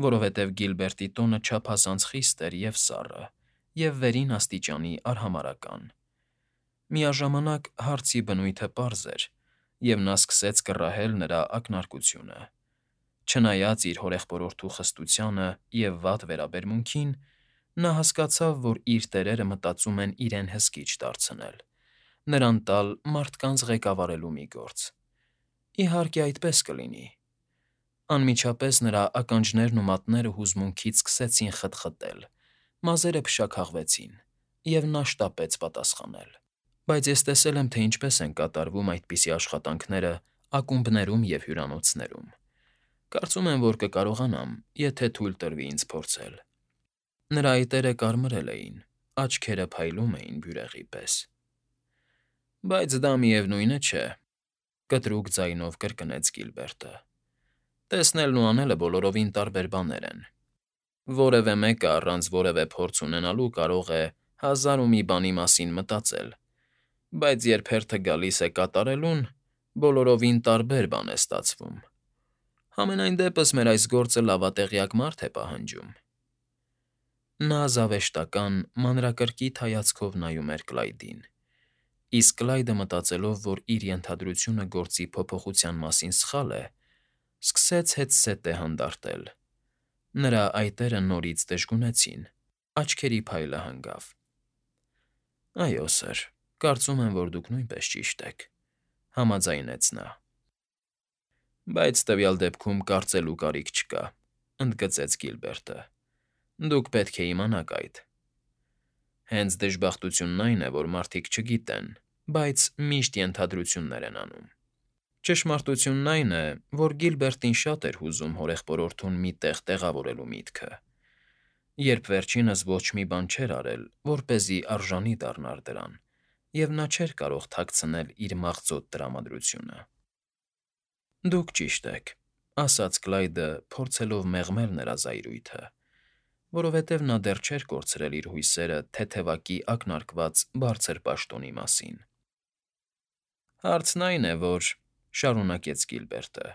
որովհետև Գիլբերտի տոնը չափազանց խիստ էր և սառը, և վերին աստիճանի արհամարհական։ Միաժամանակ հարցի բնույթը պարզ էր, և նա սկսեց կռահել նրա ակնարկությունը։ Չնայած իր հորեղբորորդու խստությանը և վատ վերաբերմունքին, նա հասկացավ, որ իր տերերը մտածում են իրեն հսկիչ դարձնել, նրան տալ մարդկանց ղեկավարելու մի գործ։ Իհարկե, այդպես կլինի։ Անմիջապես նրա ականջներն ու մատները հուզմունքից սկսեցին խտխտել, մազերը փշաքաղվեցին, և նա շտապեց պատասխանել. Բայց ես տեսել եմ, թե ինչպես են կատարվում այդպիսի աշխատանքները ակումբներում և հյուրանոցներում։ Կարծում եմ, որ կկարողանամ, եթե թույլ տրվի ինձ փորձել։ Նրա այտերը կարմրել էին, աչքերը փայլում էին բյուրեղի պես։ Բայց դա, միևնույն է, չէ,֊ կտրուկ ձայնով կրկնեց Գիլբերտը։ Տեսնելն ու անելը բոլորովին տարբեր բաներ են։ Որևէ մեկը առանց որևէ փորձ ունենալու կարող է հազար ու մի բանի մասին մտածել, բայց երբ հերթը գալիս է կատարելուն, բոլորովին տարբեր բան է ստացվում։ Համենայն դեպս մեր այս գործը լավատեղյակ մարդ է պահանջում։ Նա զավեշտական, մանրակրկիտ հայացքով նայում էր Կլայդին, իսկ Կլայդը, մտածելով, որ իր ենթադրությունը գործի փոփոխության մասին սխալ է, սկսեց հետզհետե հանդարտել։ Նրա այտերը նորից դժգունեցին, աչքերի փայլը հանգավ։ Այո, սըր, կարծում եմ, որ դուք նույնպես ճիշտ եք,֊ համաձայնեց նա։ Բայց տվյալ դեպքում կարծելու կարիք չկա,֊ ընդգծեց Գիլբերտը։ Դուք պետք է իմանաք այդ։ Հենց դժբախտությունն այն է, որ մարդիկ չգիտեն, բայց միշտ ենթադրություններ են անում։ Ճշմարտությունն այն է, որ Գիլբերտին շատ էր հուզում հորեղբորորդուն մի տեղ տեղավորելու միտքը, երբ վերջինս ոչ մի բան չէր արել, որպեսզի արժանի դառնար դրան, և նա չէր կարող թաքցնել իր մաղձոտ տրամադրությունը։ Դուք ճիշտ եք,֊ ասաց Կլայդը, փորձելով մեղմել նրա զայրույթը, որովհետև նա դեռ չէր կորցրել իր հույսերը թեթևակի ակնարկված բարձր պաշտոնի մասին։ Հարցն այն է, որ,֊ շարունակեց Գիլբերտը,֊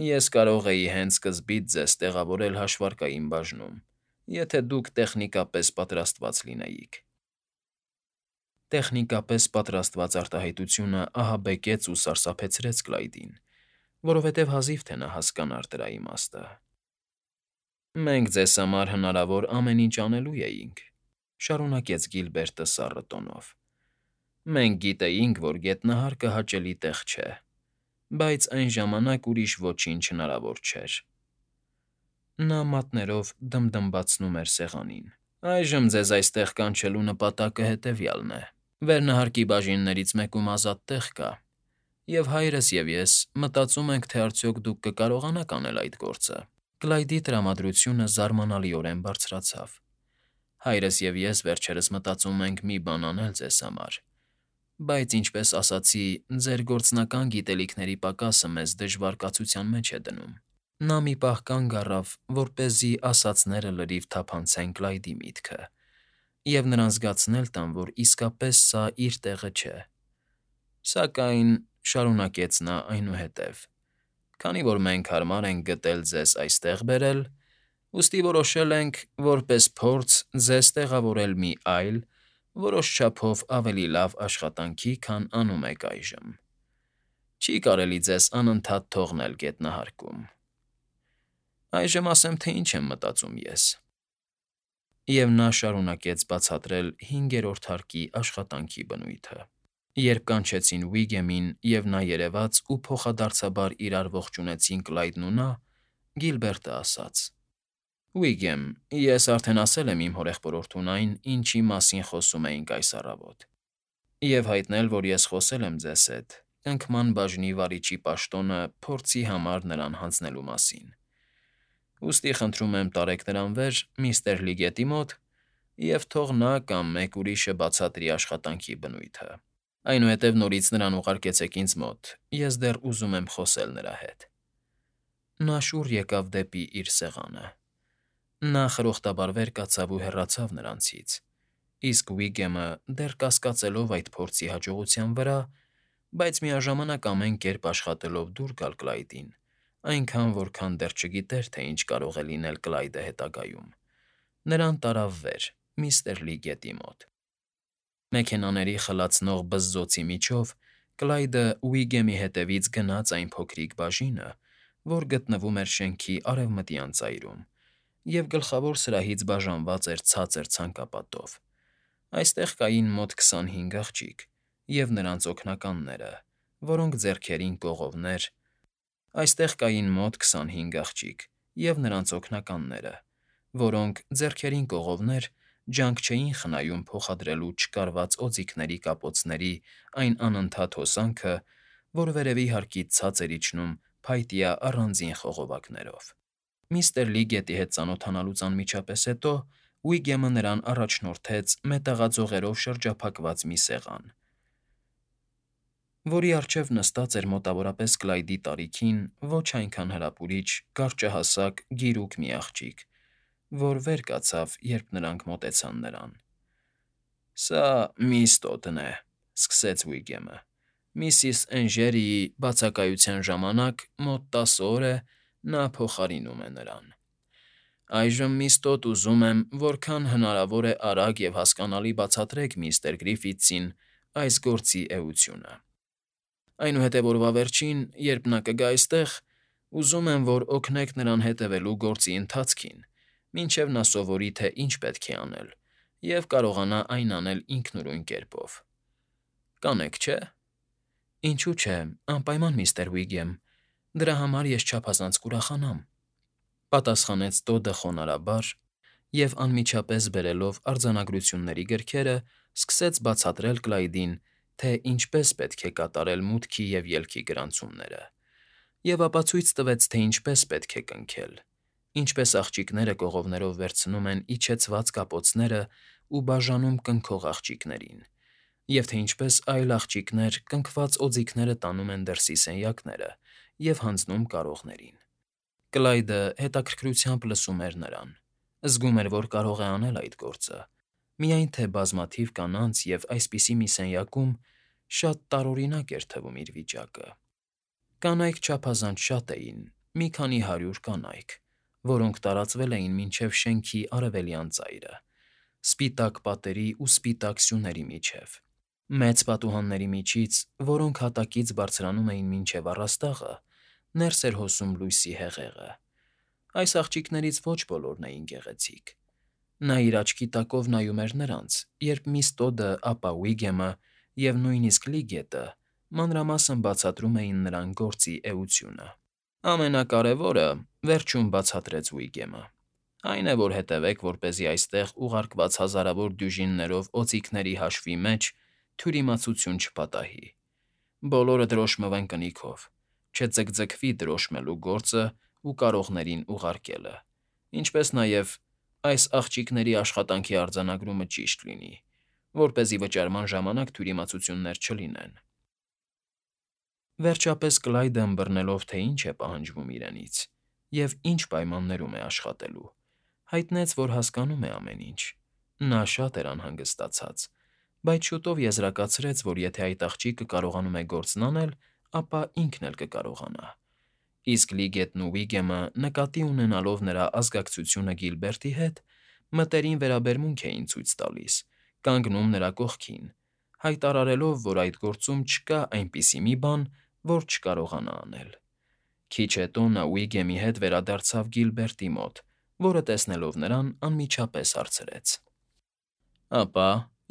ես կարող էի հենց սկզբից ձեզ տեղավորել հաշվարկային բաժնում, եթե դուք տեխնիկապես պատրաստված լինեիք։ Տեխնիկապես պատրաստված արտահայտությունը ահաբեկեց ու սարսափեցրեց Կլայդին, որովհետև հազիվ թե նա հասկանար դրա իմաստը։ Մենք ձեզ համար հնարավոր ամեն ինչ անելու էինք,֊ շարունակեց Գիլբերտը սառը տոնով։ Մենք գիտեինք, որ գետնահարկը հաճելի տեղ չէ, բայց այն ժամանակ ուրիշ ոչինչ հնարավոր չէր։ Նա մատներով դմդմբացնում էր սեղանին։ Այժմ ձեզ այստեղ կանչելու նպատակը հետևյալն է. Վերնահարկի բաժիններից մեկում ազատ տեղ կա, և հայրս և ես մտածում ենք, թե արդյոք դուք կկարողանաք անել այդ գործը։ Կլայդի տրամադրությունը զարմանալիորեն բարձրացավ։ Հայրս և ես վերջերս մտածում ենք մի բան անել ձեզ համար, բայց, ինչպես ասացի, ձեր գործնական գիտելիքների պակասը մեզ դժվար կացության մեջ է դնում։ Նա մի պահ կանգ առավ, որպեսզի ասածները լրիվ թափանցեն Կլայդի միտքը, և նրան զգացնել տան, որ իսկապես սա իր տեղը չէ։ Սակայն,֊ շարունակեց նա այնուհետև,֊ քանի որ մենք հարմար ենք գտել ձեզ այստեղ բերել, ուստի որոշել ենք, որպես փորձ, ձեզ տեղավորել մի այլ, որոշ չափով ավելի լավ աշխատանքի, քան անում եք այժմ։ Չի կարելի ձեզ անընդհատ թողնել գետնահարկում։ Այժմ ասեմ, թե ինչ եմ մտածում ես։ Եվ նա շարունակեց բացատրել հինգերորդ հարկի աշխատանքի բնույթը։ Երբ կանչեցին Վիգեմին, և նա երևաց ու փոխադարձաբար իրար ողջունեցին Կլայդն ու նա, Գիլբերտը ասաց. Վիգեմ, ես արդեն ասել եմ իմ հորեղբորորդուն այն, ինչի մասին խոսում էինք այս առավոտ, և հայտնել, որ ես խոսել եմ ձեզ հետ կնքման բաժնի վարիչի պաշտոնը փորձի համար նրան հանձնելու մասին։ Ուստի խնդրում եմ տարեք նրան վեր միստր Լիգետի մոտ և թող նա կամ մեկ ուրիշը բացատրի աշխատանքի բնույթը։ Այնուհետև նորից նրան ուղարկեցեք ինձ մոտ, ես դեռ ուզում եմ խոսել նրա հետ։ Նա շուռ եկավ դեպի իր սեղանը։ Նա խրոխտաբար վեր կացավ ու հեռացավ նրանցից, իսկ Վիգեմը, դեռ կասկածելով այդ փորձի հաջողության վրա, բայց միաժամանակ ամեն կերպ աշխատելով դուր գալ Կլայդին, այնքան, որքան դեռ չգիտեր, թե ինչ կարող է լինել Կլայդը հետագայում։ Նրան տարավ վեր, միստր Լի գետի մոտ։ Մեքենաների խլացնող բզզոցի միջով Կլայդը Ուիգեմի հետևից գնաց այն փոքրիկ բաժինը, որ գտնվում էր շենքի արևմտյան ծայրում, և գլխավոր սրահից բաժանված էր ցածր ցանկապատով։ Այստեղ կային մոտ 25 աղջիկ և նրանց օգնականները, որոնք ձեռքերին կողովներ, այստեղ կային մոտ 25 աղջիկ և նրանց օգնականները, որոնք ձեռքերին կողովներ ջանք չէին խնայում փոխադրելու չկարված օձիքների կապոցների այն անընդհատ հոսանքը, որ վերևի հարկից ցած էր իջնում փայտյա առանձին խողովակներով։ Միստր Լի գետի հետ ծանոթանալուց անմիջապես հետո Ուիգեմը նրան առաջնորդեց մետաղաձողերով շրջափակված մի սեղան, որի առջև նստած էր մոտավորապես Կլայդի տարիքին ոչ այնքան հրապուրիչ, կարճահասակ, գիրուկ մի աղջիկ, որ վեր կացավ, երբ նրանք մոտեցան նրան։ «Սա միս Տոդն է», ֊ սկսեց Ուիգեմը։ «Միսիս Էնժերիի բացակայության ժամանակ մոտ 10 օր է նա փոխարինում է նրան։ Այժմ, միս Տոդ, ուզում եմ, որքան հնարավոր է արագ և հասկանալի բացատրեք միստր Գրիֆիթսին այս գործի էությունը։ Այնուհետև օրվա վերջին, երբ նա կգա այստեղ, ուզում եմ, որ օգնեք նրան հետևելու գործի ընթացքին, մինչև նա սովորի, թե ինչ պետք է անել, և կարողանա այն անել ինքնուրույն կերպով։ Կանեք, չէ՞։ Ինչու՞ չէ, անպայման, միստր Ուիգեմ, դրա համար ես չափազանց կուրախանամ, ֊ պատասխանեց Տոդը խոնարհաբար և, անմիջապես բերելով արձանագրությունների գրքերը, սկսեց բացատրել Կլայդին, թե ինչպես պետք է կատարել մուտքի և ելքի գրանցումները, և ապացույց տվեց, թե ինչպես պետք է կնքել, ինչպես աղջիկները կողովներով վերցնում են իջեցված կապոցները ու բաժանում կնքող աղջիկներին, և թե ինչպես այլ աղջիկներ կնքված օձիքները տանում են դրսի սենյակները և հանձնում կարողներին։ Կլայդը հետաքրքրությամբ լսում էր նրան, զգում էր, որ կարող է անել այդ գործը, միայն թե բազմաթիվ կանանց և այսպիսի մի սենյակում շատ տարօրինակ էր թվում իր վիճակը։ Կանայք չափազանց շատ էին, մի քանի 100 կանայք, որոնք տարածվել էին մինչև շենքի արևելյան ծայրը, սպիտակ պատերի ու սպիտակ սյուների միջև, մեծ պատուհանների միջից, որոնք հատակից բարձրանում էին մինչև առաստաղը, ներս էր հոսում լույսի հեղեղը։ Այս աղջիկներից ոչ բոլորն էին գեղեցիկ։ Նա իր աչքի տակով նայում էր նրանց, երբ միս Տոդը, ապա Ուիգեմը և նույնիսկ Լի գետը մանրամասն բացատրում էին նրան գործի էությունը։ Ամենակարևորը, ֊ վերջում բացատրեց Ուիգեմը, ֊ այն է, որ հետևեք, որպեսզի այստեղ ուղարկված հազարավոր դյուժիններով օձիքների հաշվի մեջ թյուրիմացություն չպատահի։ Բոլորը դրոշմվեն կնիքով, չձգձգվի դրոշմելու գործը ու կարողներին ուղարկելը, ինչպես նաև այս աղջիկների աշխատանքի արձանագրումը ճիշտ լինի, որպեսզի վճարման ժամանակ թյուրիմացություններ չլինեն։ Վերջապես Կլայդը ըմբռնելով, թե ինչ է պահանջվում իրենից և ինչ պայմաններում է աշխատելու, հայտնեց, որ հասկանում է ամեն ինչ։ Նա շատ էր անհանգստացած, բայց շուտով եզրակացրեց, որ եթե այդ աղջիկը կարողանում է գործն անել, ապա ինքն էլ կկարողանա։ Իսկ Լի գետն ու Ուիգեմը, նկատի ունենալով նրա ազգակցությունը Գիլբերտի հետ, մտերիմ վերաբերմունք էին ցույց տալիս, կանգնում նրա կողքին, հայտարարելով, որ այդ գործում չկա այնպիսի մի բան, որ չկարողանա անել։ Քիչ հետո նա Ուիգեմի հետ վերադարձավ Գիլբերտի մոտ, որը, տեսնելով նրան, անմիջապես հարցրեց. «Ապա,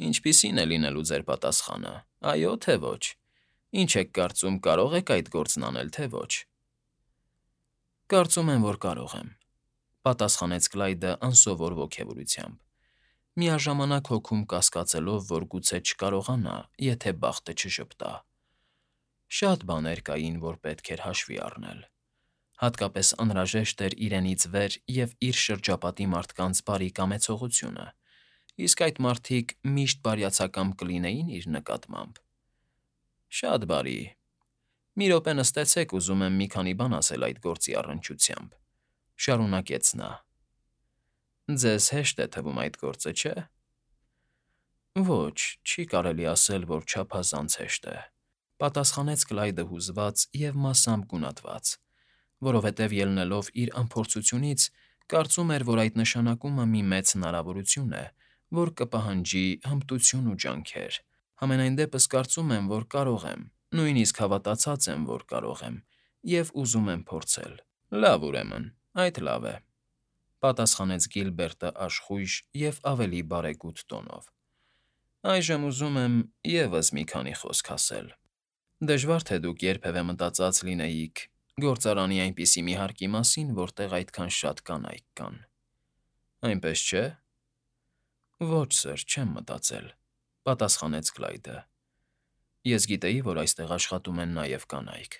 ինչպիսի՞ն է լինելու ձեր պատասխանը, այո՞ թե ոչ։ Ինչ եք կարծում, կարո՞ղ եք այդ գործն անել, թե ոչ»։ «Կարծում եմ, որ կարող եմ», ֊ պատասխանեց Կլայդը անսովոր ոգևորությամբ, միաժամանակ հոգում կասկածելով, որ գուցե չկարողանա, եթե բախտը չժպտա։ Շատ բաներ կային, որ պետք էր հաշվի առնել։ Հատկապես անհրաժեշտ էր իրենից վեր և իր շրջապատի մարդկանց բարի կամեցողությունը, իսկ այդ մարդիկ միշտ բարյացակամ կլինեին իր նկատմամբ։ Շատ բարի։ Մի րոպե նստեցեք, ուզում եմ մի քանի բան ասել այդ գործի առնչությամբ, ֊ շարունակեց նա։ Ձեզ հեշտ է թվում այդ գործը, չէ՞։ Ոչ, չի կարելի ասել, որ չափազանց հեշտ է, ֊ պատասխանեց Կլայդը հուզված և մասամբ գունատված, որովհետև ելնելով իր անփորձությունից, կարծում էր, որ այդ նշանակումը մի մեծ հնարավորություն է, որ կպահանջի հմտություն ու ջանքեր։ Համենայն դեպս կարծում եմ, որ կարող եմ, նույնիսկ հավատացած եմ, որ կարող եմ, և ուզում եմ փորձել։ Լավ, ուրեմն, այդ լավ է, պատասխանեց Գիլբերտը աշխույժ և ավելի բարեգութ տոնով։ Այժմ ուզում եմ ևս մի քանի խոսք ասել։ Դժվար թե դուք երբևէ մտածած լինեիք գործարանի այնպիսի մի հարկի մասին, որտեղ այդքան շատ կանայք կան։ Այնպես չէ՞։ Ոչ, սըր, չեմ մտածել, պատասխանեց Կլայդը։ Ես գիտեի, որ այստեղ աշխատում են նաև կանայք,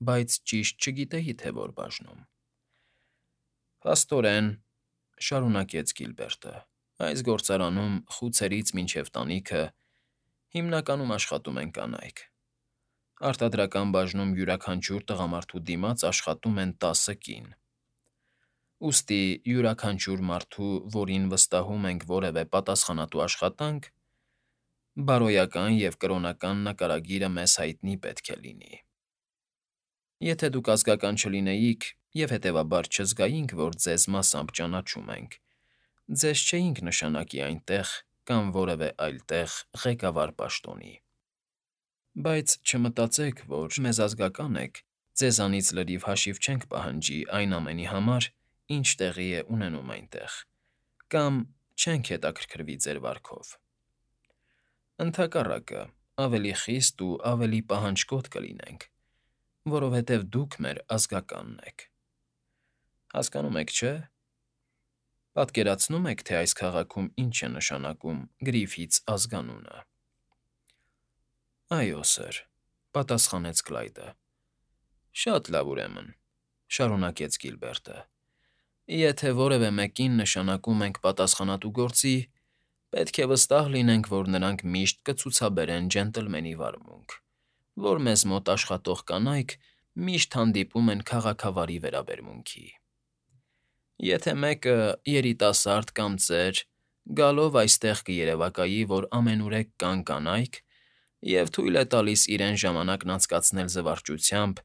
բայց ճիշտ չգիտեի, թե որ բաժնում։ Փաստորեն, շարունակեց Գիլբերտը, այս գործարանում խուցերից մինչև տանիքը հիմնականում աշխատում են կանայք։ Արտադրական բաժնում յուրաքանչյուր տղամարդու դիմաց աշխատում են 10 կին։ Ուստի յուրաքանչյուր մարդու, որին վստահում ենք որևէ պատասխանատու աշխատանք, բարոյական և կրոնական նկարագիրը մեզ հայտնի պետք է լինի։ Եթե դուք ազգական չլինեիք և հետևաբար չզգայինք, որ ձեզ մասամբ ճանաչում ենք, ձեզ չէինք նշանակի այնտեղ կամ որևէ այլ տեղ ղեկավար պաշտոնի։ Բայց չմտածեք, որ մեզ ազգական եք, ձեզանից լրիվ հաշիվ չենք պահանջի այն ամենի համար, ինչ տեղի է ունենում այնտեղ, կամ չենք հետաքրքրվի ձեր վարքով։ Ընդհակառակը, ավելի խիստ ու ավելի պահանջկոտ կլինենք, որովհետև դուք մեր ազգականն եք։ Հասկանում եք, չէ՞։ Պատկերացնո՞ւմ եք, թե այս քաղաքում ինչ է նշանակում Գրիֆիթս ազգանունը։ Այո, սըր, պատասխանեց Կլայդը։ Շատ լավ, ուրեմն, շարունակեց Գիլբերտը։ Եթե որևէ մեկին նշանակում ենք պատասխանատու գործի, պետք է վստահ լինենք, որ նրանք միշտ կցուցաբերեն ջենտլմենի վարմունք, որ մեզ մոտ աշխատող կանայք միշտ հանդիպում են քաղաքավարի վերաբերմունքի։ Եթե մեկը երիտասարդ կամ ծեր, գալով այստեղ կերևակայի, որ ամենուրեք կան կանայք, և թույլ է տալիս իրեն ժամանակն անցկացնել զվարճությամբ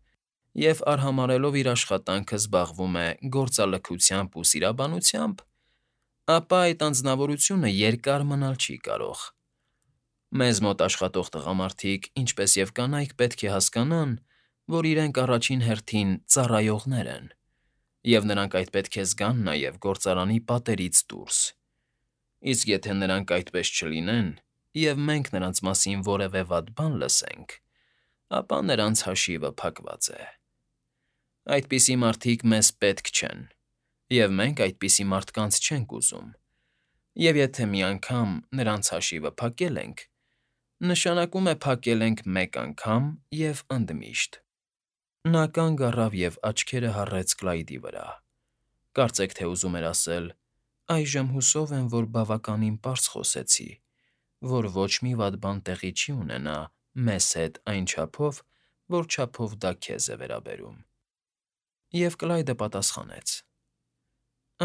և արհամարհելով իր աշխատանքը զբաղվում է գործալքությամբ ու սիրաբանությամբ, ապա այդ անձնավորությունը երկար մնալ չի կարող։ Մեզ մոտ աշխատող տղամարդիկ, ինչպես և կանայք, պետք է հասկանան, որ իրենք առաջին հերթին ծառայողներ են, և նրանք այդ պետք է զգան նաև գործարանի պատերից դուրս։ Իսկ եթե նրանք այդպես չլինեն, և մենք նրանց մասին որևէ վատ բան լսենք, ապա նրանց հաշիվը փակված է։ Այդպիսի մարդիկ մեզ պետք չեն, և մենք այդպիսի մարդկանց չենք ուզում, և եթե մի անգամ նրանց հաշիվը փակել ենք, նշանակում է փակել ենք մեկ անգամ և ընդմիշտ։ Նա կանգ առավ և աչքերը հառեց Կլայդի վրա, կարծեք թե ուզում էր ասել. «Այժմ հուսով եմ, որ բավականին պարզ խոսեցի, որ ոչ մի վատ բան տեղի չի ունենա մեզ հետ այն չափով, որ չափով դա քեզ է վերաբերում»։ Եվ Կլայդը պատասխանեց.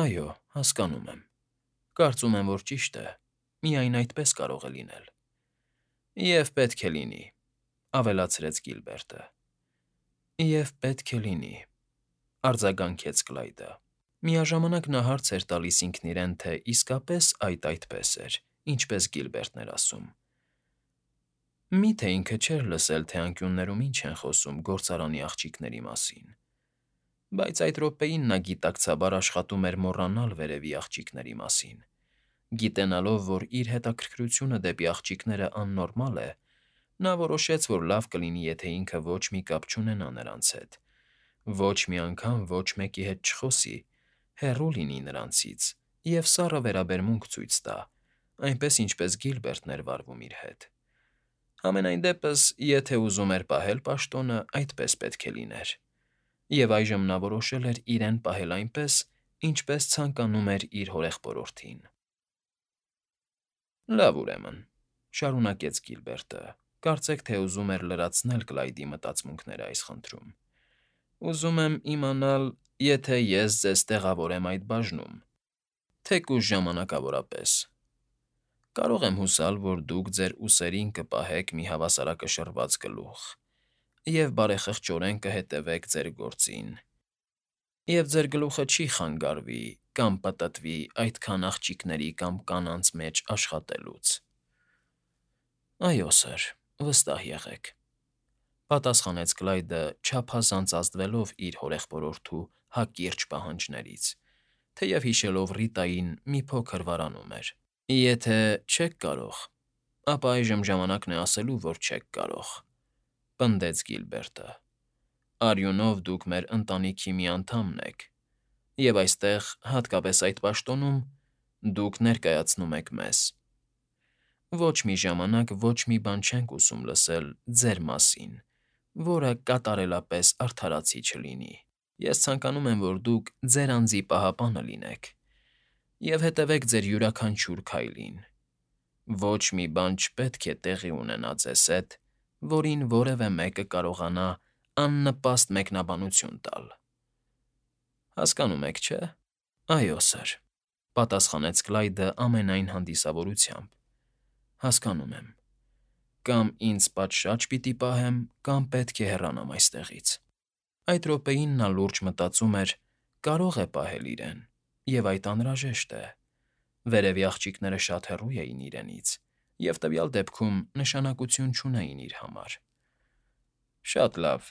«Այո, հասկանում եմ։ Կարծում եմ, որ ճիշտ է, միայն այդպես կարող է լինել»։ «Եվ պետք է լինի», ավելացրեց Գիլբերտը։ «Եվ պետք է լինի», արձագանքեց Կլայդը։ Միաժամանակ նա հարց էր տալիս ինքն իրեն, թե իսկապես այդ այդպես էր, ինչպես Գիլբերտն էր ասում։ Մի՞թե ինքը չէր լսել, թե անկյուններում ինչ են խոսում գործարանի աղջիկների մասին։ Բայց այդ րոպեին նա գիտակցաբար աշխատում էր մոռանալ վերևի աղջիկների մասին։ Գիտենալով, որ իր հետաքրքրությունը դեպի աղջիկները աննորմալ է, նա որոշեց, որ լավ կլինի, եթե ինքը ոչ մի կապ չունենա նրանց հետ, ոչ մի անգամ ոչ մեկի հետ չխոսի, հեռու լինի նրանցից և սառը վերաբերմունք ցույց տա, այնպես ինչպես Գիլբերտն էր վարվում իր հետ։ Համենայն դեպս, եթե ուզում էր պահել պաշտոնը, այդպես պետք է լիներ, և այժմ նա որոշել էր իրեն պահել այնպես, ինչպես ցանկանում էր իր հորեղբորորդին։ Լավ, ուրեմն, շարունակեց Գիլբերտը, կարծեք թե ուզում էր լրացնել Կլայդի մտածմունքները այս խնդրում։ Ուզում եմ իմանալ, եթե ես ձեզ տեղավորեմ այդ բաժնում, թեկուզ ժամանակավորապես, կարող եմ հուսալ, որ դուք ձեր ուսերին կպահեք մի հավասարակշռված գլուխ և բարեխղճորեն կհետևեք ձեր գործին, Եվ ձեր գլուխը չի խանգարվի կամ պտտվի այդքան աղջիկների կամ կանանց մեջ աշխատելուց։ Այո, սըր, վստահ եղեք,֊ պատասխանեց Կլայդը, չափազանց ազդվելով իր հորեղբորորդու հակիրճ պահանջներից, թեև հիշելով Ռիտային մի փոքր վարանում էր։ Եթե չեք կարող, ապա այժմ ժամանակն է ասելու, որ չեք կարող,֊ պնդեց Գիլբերտը։ Արյունով դուք մեր ընտանիքի մի անդամն եք, և այստեղ, հատկապես այդ պաշտոնում, դուք ներկայացնում եք մեզ։ Ոչ մի ժամանակ ոչ մի բան չենք ուզում լսել ձեր մասին, որը կատարելապես արդարացի չլինի։ Ես ցանկանում եմ, որ դուք ձեր անձի պահապանը լինեք և հետևեք ձեր յուրաքանչյուր քայլին։ Ոչ մի բան չպետք է տեղի ունենա ձեզ հետ, որին որևէ մեկը կարողանա աննպաստ մեկնաբանություն տալ։ Հասկանում եք, չէ՞։ Այո, սըր,֊ պատասխանեց Կլայդը ամենայն հանդիսավորությամբ։ Հասկանում եմ։ Կամ ինձ պատշաճ պիտի պահեմ, կամ պետք է հեռանամ այստեղից։ Այդ րոպեին նա լուրջ մտածում էր. կարող է պահել իրեն, և այդ անհրաժեշտ է։ Վերևի աղջիկները շատ հեռու էին իրենից և տվյալ դեպքում նշանակություն չունեին իր համար։ Շատ լավ,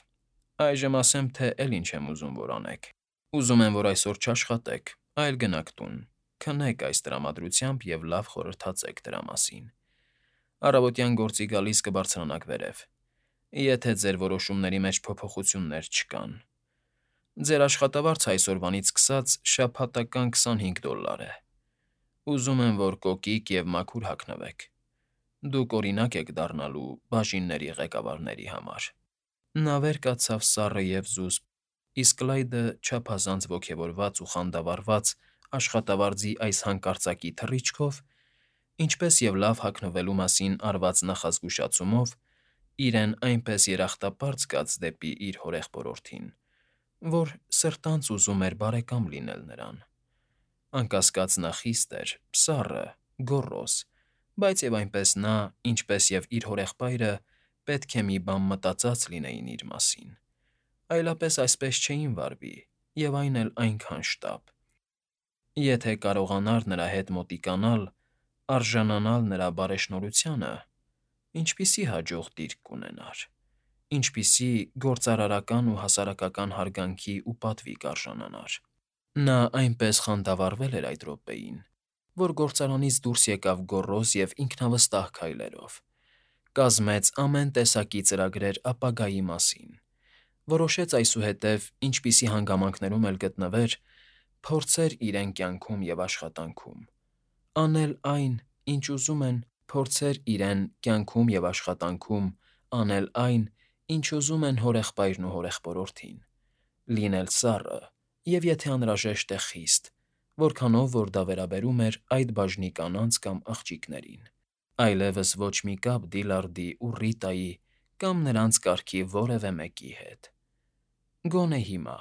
այժմ ասեմ, թե էլի ինչ եմ ուզում, որ անեք։ Ուզում եմ, որ այսօր չաշխատեք, այլ գնաք տուն, քնեք այս տրամադրությամբ և լավ խորհրդածեք դրա մասին։ Առավոտյան գործի գալիս կբարձրանաք վերև, եթե ձեր որոշումների մեջ փոփոխություններ չկան։ Ձեր աշխատավարձը այսօրվանից սկսած շաբաթական $25 է։ Ուզում եմ, որ կոկիկ և մաքուր հագնվեք։ Դուք օրինակ եք դառնալու բաժինների ղեկավարների համար։ Նա վեր կացավ սառը և զուսպ, իսկ Կլայդը, չափազանց ոգևորված ու խանդավառված աշխատավարձի այս հանկարծակի թռիչքով, ինչպես և լավ հագնվելու մասին արված նախազգուշացումով, իրեն այնպես երախտապարտ զգաց դեպի իր հորեղբորորդին, որ սրտանց ուզում էր բարեկամ լինել նրան։ Անկասկած նա խիստ էր, սառը, գոռոզ, բայց և այնպես նա, ինչպես և իր հորեղբայրը, պետք է մի բան մտածած լինեին իր մասին, այլապես այսպես չէին վարվի և այն էլ այնքան շտապ։ Եթե կարողանար նրա հետ մոտիկանալ, արժանանալ նրա բարեշնորհությանը, ինչպիսի հաջող դիրք կունենար, ինչպիսի գործարարական ու հասարակական հարգանքի ու պատվի կարժանանար։ Նա այնպես խանդավառվել էր այդ րոպեին, որ գործարանից դուրս եկավ գոռոզ և ինքնավստահ քայլերով, կազմեց ամեն տեսակի ծրագրեր ապագայի մասին, որոշեց այսուհետև, ինչպիսի հանգամանքներում էլ գտնվեր, փորձեր իրեն կյանքում և աշխատանքում, անել այն, ինչ ուզում են, փորձեր իրեն կյանքում և աշխատանքում անել այն, ինչ ուզում են հորեղբայրն ու հորեղբորորդին, լինել սառը և, եթե անհրաժեշտ է, խիստ, որքանով որ դա վերաբերում էր այդ բաժնի կանանց կամ աղջիկներին, այլևս ոչ մի կապ Դիլարդի ու Ռիտայի կամ նրանց կարգի որևէ մեկի հետ։ Գոնե հիմա։